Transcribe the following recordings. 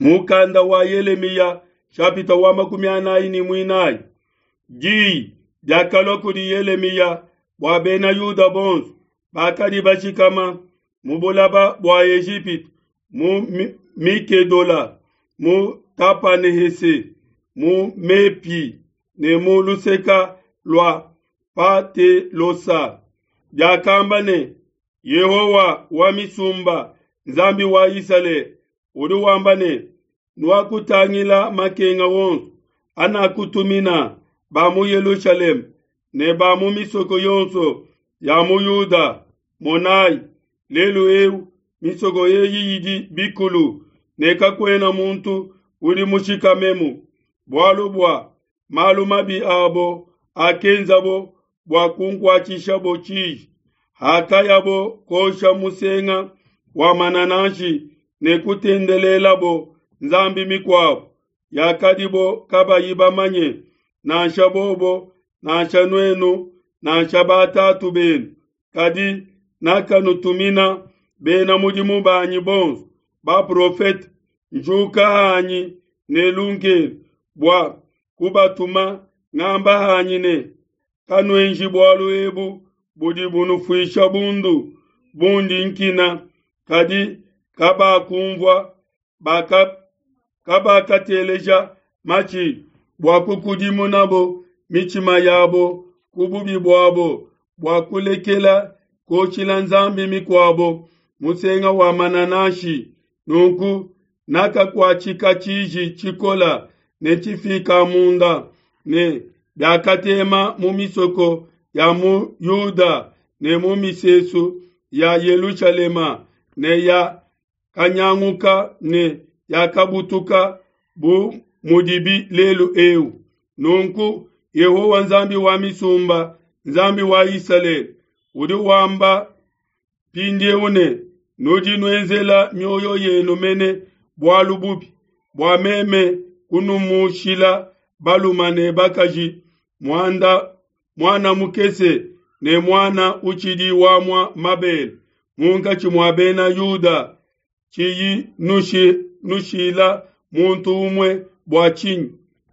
Mukanda wa Yelemiya shapita wa 44. Diyi diakalua kudi Yelemiya bua bena Yuda bonso bakadi bashikama mu bulaba bua Ejipitu, mu Mikedola, mu Tapanehese, mu Mepi ne mu luseka lua Patelosa. Diakamba ne, Yehowa wa misumba, Nzambi wa Isalele, udi wamba ne, Nuakutangila makenga wonso anakutumina ba mu Yelushalema ne ba mu misoko yonso ya mu Yuda. Monayi, lelu eu misoko eyi idi bikulu, ne kakuena muntu udi mushikamemu, bualu bua malu mabi abo akenzabo bua kunkuatshishabo tshiji, hakayabo kosha musenga wa manananshi ne kutendelelabo nzambi mikuabo yakadibo kabayi bamanye, nansha bobo nansha nuenu nansha batatu benu. Kadi nakanutumina bena mudimu banyi bonso baprofete, njuka hanyi ne lunkelu bua kubatuma, ngamba hanyi ne, Kanuenji bualu ebu budi bunufuisha bundu, bundi nkina. Kadi kabakumvua, kabakateleja matshi bua kukudimunabo mitshima yabo ku bubi buabo, bua kulekela kuoshila nzambi mikuabo musenga wa manananshi. Nunku nakakuatshika tshiji tshikola ne tshifika munda, ne biakatema mu misoko ya mu Yuda ne mu misesu ya Yelushalema, ne ya kanyanguka ne yakabutuka bu mudibi lelu eu. Nunku Yehowa Nzambi wa misumba, Nzambi wa Isalele, udi wamba mpindieu ne, Nudi nuenzela mioyo yenu mene bualu bubi, bua meme kunumushila balume ne bakaji, muana mukese ne muana utshidi wamua mabele munkatshi mua bena Yuda, tshiyi nushila muntu umue bua tshinyi?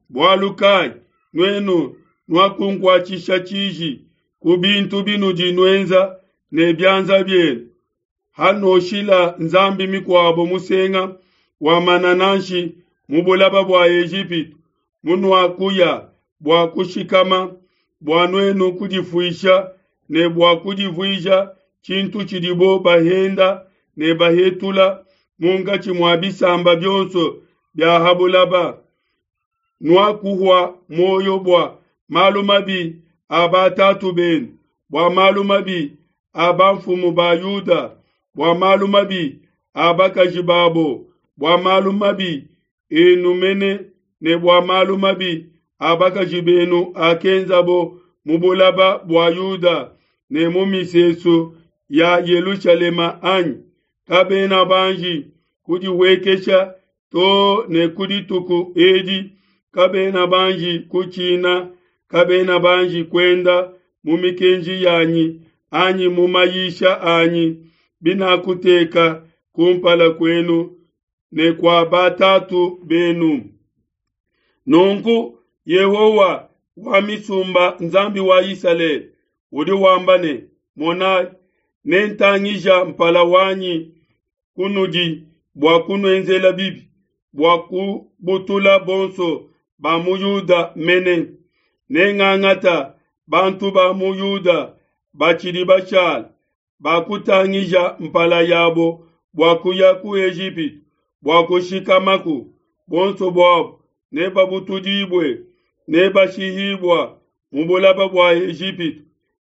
Bualu kai nuenu nuakunkuatshisha tshiji ku bintu binudi nuenza ne bianza bienu, hanoshila nzambi mikuabo musenga wa manananshi mu bulaba bua Ejipitu, munuakuya bua kushikama, bua nuenu kudifuisha ne bua kudivuija tshintu tshidibo bahenda ne bahetula munkatshi mua bisamba bionso bia ha bulaba. Nuakuhua muoyo bua malu mabi a batatu benu, bua malu mabi a bamfumu ba Yuda, bua malu mabi a bakaji babo, bua malu mabi enu mene ne bua malu mabi a bakaji benu akenzabo mu bulaba bua Yuda ne mu misesu ya Yelushalema anyi? Kabena banji kudihuekesha to ne ku dituku edi, kabena banji kutshina, kabena banji kuenda mu mikenji yanyi anyi mu mayisha anyi binakuteka kumpala kuenu ne kua batatu benu. Nunku Yehowa wa misumba, Nzambi wa Isalele, udi wamba ne, Monayi, nentangija mpala wanyi kunudi bua kunuenzela bibi, bua kubutula bonso ba mu Yuda mene. Nengangata bantu ba mu Yuda batshidi bashala, bakutangija mpala yabo bua kuya ku Ejipitu bua kushikamaku, bonso buabo nebabutudibue, nebashihibua mu bulaba bua Ejipitu,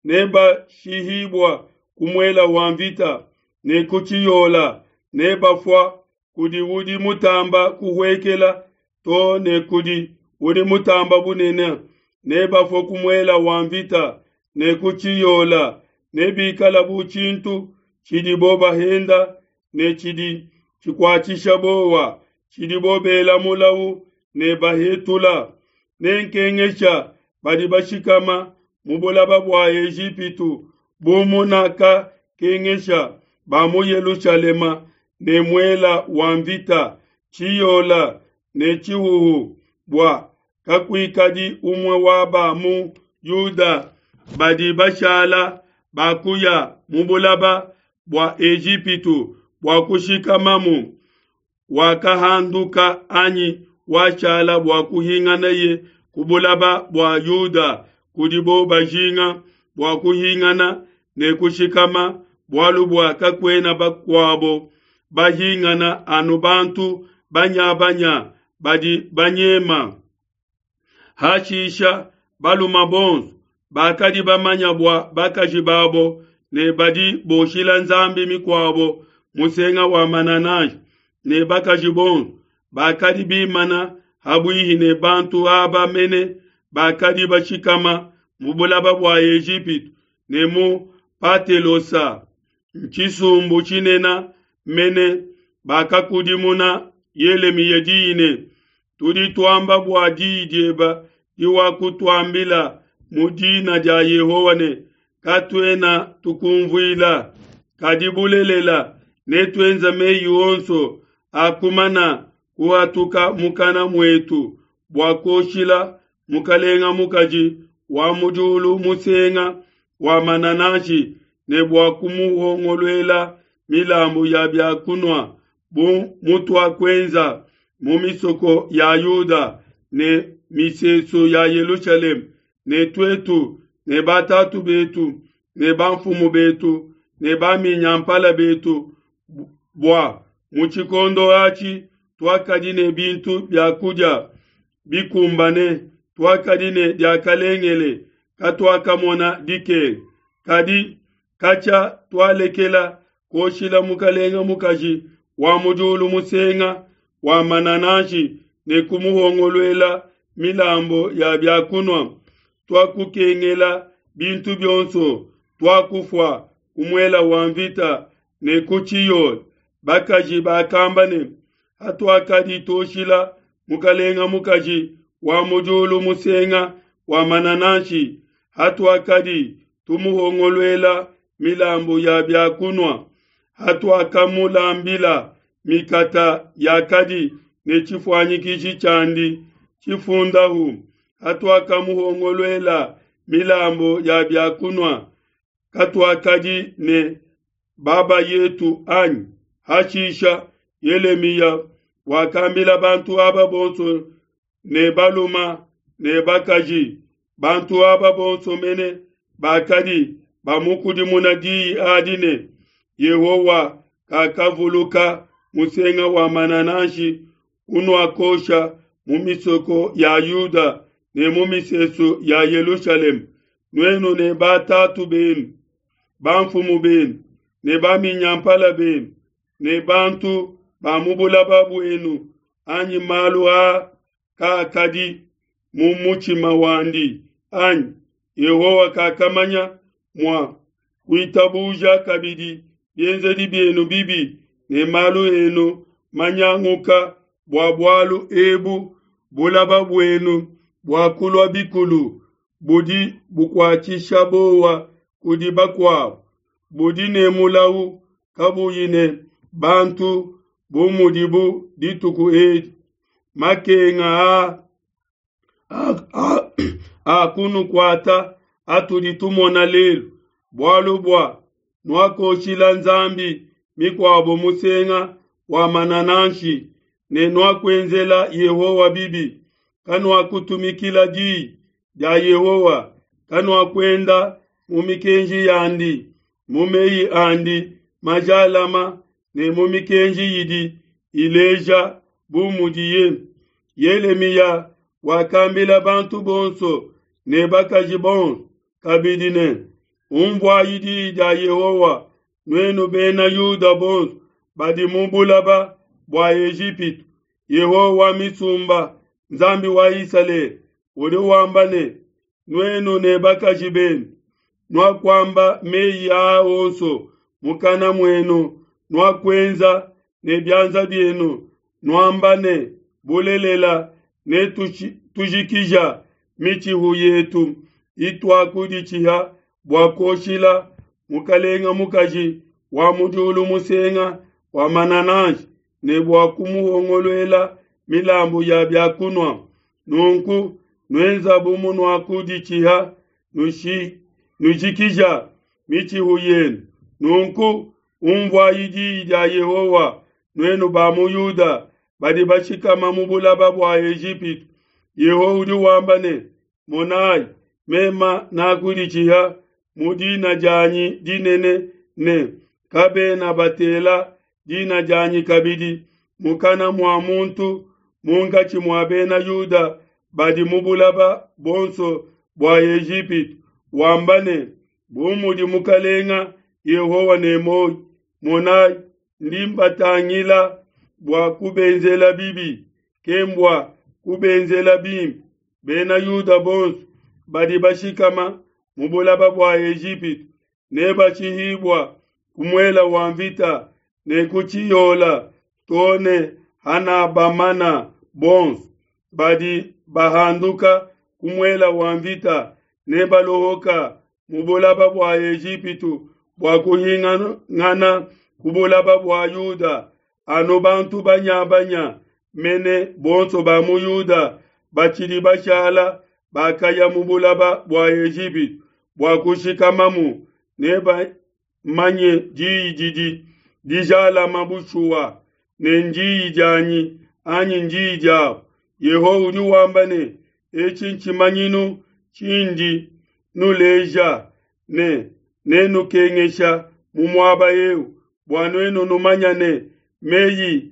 nebashihibua ku muela wa mvita ne ku tshiyola, nebafua kudi udi mutamba kuhuekela to ne kudi udi mutamba bunene, nebafue ku muela wa mvita ne ku tshiyola, nebikala bu tshintu tshidibo bahenda ne tshidi tshikuatshisha bowa, tshidibo bela mulau ne bahetula. Nenkengesha badi bashikama mu bulaba bua Ejipitu bu munakakengesha ba mu Yelushalema ne muela wa mvita. tshiyola ne tshihuhu, bua kakuikadi umue wa ba mu Yuda badi bashala bakuya mu bulaba bua Ejipitu bua kushikamamu, wakahanduka anyi washala bua kuhinganaye ku bulaba bua Yuda kudibo bajinga bua kuhingana ne kushikama, bualu bua kakuena bakuabo bahingana anu bantu banya-banya badi banyema. Hashisha baluma bonso bakadi bamanya bua bakaji babo ne badi boshila nzambi mikuabo musenga wa manananshi, ne bakaji bonso bakadi bimana habuihi ne bantu aba mene bakadi bashikama mu bulaba bua Ejipitu ne mu Patelosa, ntshisumbu tshinene mene, bakakudimuna Yelemiya diyi ne, Tudi tuamba bua diyi dieba diwakutuambila mu dina dia Yehowa ne, Katuena tukumvuila, kadi bulelela netuenze meyi onso akumana kuhatuka mukana muetu bua kuoshila mukalenga mukaji wa mu diulu musenga wa manananshi ne bua kumuhongoluela milambu ya bia kunua bu mutuakuenza mu misoko ya Yuda ne misesu ya Yelushalema, ne tuetu ne batatu betu ne bamfumu betu ne baminyampala betu, bua mu tshikondo atshi tuakadi ne bintu bia kudia bikumbane, tuakadi ne diakalengele, katuakamona dikenga. Kadi katshia tualekela kuoshila mukalenga mukaji wa mu diulu musenga wa manananshi ne kumuhongoluela milambu ya bia kunua, tuakukengela bintu bionso, tuakufua ku muela wa mvita ne ku tshiyola. Bakaji bakamba ne, Hatuakadi tuoshila mukalenga mukaji wa mu diulu musenga wa manananshi, hatuakadi tumuhongoluela milambu ya bia kunua, hatuakamulambila mikata yakadi ne tshifuanyikiji tshiandi tshifundahu, hatuakamuhongoluela milambu ya bia kunua, katuakadi ne baba yetu anyi? Hashisha Yelemiya wakambila bantu aba bonso ne baluma ne bakaji, bantu aba bonso mene bakadi bamukudimuna diyi adi ne, Yehowa kakavuluka musenga wa manananshi unuakosha mu misoko ya Yuda ne mu misesu ya Yelushalema, nuenu ne batatu benu, bamfumu benu ne baminyampala benu ne bantu ba mu bulaba buenu, anyi malu aa kaakadi mu mutshima wandi anyi? Yehowa kakamanya mua kuitabuja kabidi bienzedi bienu bibi ne malu enu manyanguka. Bua bualu ebu bulaba buenu buakulua bikulu budi bukuatshisha bowa kudi bakuabo, budi ne mulau kabuyi ne bantu bu mudibu dituku edi. Makenga aa akunukuata atudi tumona lelu, bualu bua nuakoshila nzambi mikuabo musenga wa manananshi ne nuakuenzela Yehowa bibi, kanuakutumikila diyi dia Yehowa, kanuakuenda mu mikenji yandi, mu meyi andi majalama ne mu mikenji idi ileja bu mudiye. Yelemiya wakambila bantu bonso ne bakaji bonso kabidi ne, Umvuayi diyi dia Yehowa, nuenu bena Yuda bonso badi mu bulaba bua Ejipitu. Yehowa wa misumba, Nzambi wa Isalele, udi wamba ne, Nuenu ne bakaji benu nuakuamba meyi aa onso mukana muenu, nuakuenza ne bianza bienu, nuamba ne, Bulelela, netujikija mitshihu yetu ituakuditshiha bua kuoshila mukalenga mukaji wa mu diulu musenga wa manananshi. ne bua kumuhongoluela milambu ya bia kunua. Nunku nuenza bu munuakuditshiha, nujikija mitshihu yenu. Nunku unvuayi diyi dia Yehowa, nuenu ba mu Yuda badi bashikama mu bulaba bua Ejipitu. Yehowa udi wamba ne, Monayi, mema nakuditshiha mu dina dianyi dinene ne, kabena batela dina dianyi kabidi mukana mua muntu munkatshi mua bena Yuda badi mu bulaba buonso bua Ejipitu, wamba ne, Bu mudi Mukalenga Yehowa ne muoyo, monayi, ndi mbatangila bua kubenzela bibi, kembua kubenzela bimpe. Bena Yuda bonso badi bashikama mu bulaba bua Ejipitu nebashihibua ku muela wa mvita ne ku tshiyola to ne hanabamana bonso. Badi bahanduka ku muela wa mvita nebalohoka mu bulaba bua Ejipitu bua kuhingana ku bulaba bua Yuda. Anu bantu banyabanya mene bonso ba mu Yuda batshidi bashala bakaya mu bulaba bua Ejipitu bua kushikamamu, nebamanye diyi didi dijalama bushuwa, ne ndiyi dianyi anyi ndiyi diabo. Yehowa udi wamba ne, etshi ntshimanyinu tshindi nuleja ne nenukengesha mu muaba eu, bua nuenu numanya ne meyi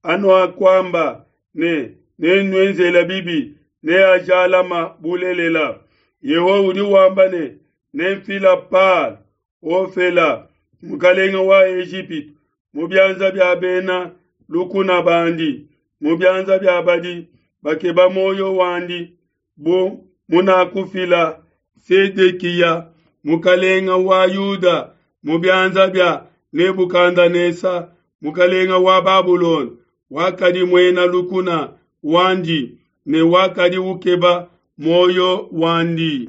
anuakuamba ne nenuenzela bibi neajalama bulelela. Yehowa udi wamba ne, nemfila Palo Ofela mukalenge wa Ejipitu mu bianza bia bena lukuna bandi, mu bianza bia badi bakeba muoyo wandi, bu munakufila Sedekiya mukalenge wa Yuda mu bianza bia Nebukadenesa mukalenge wa Babulona, wakadi muena lukuna wandi ne wakadi ukeba muoyo wandi.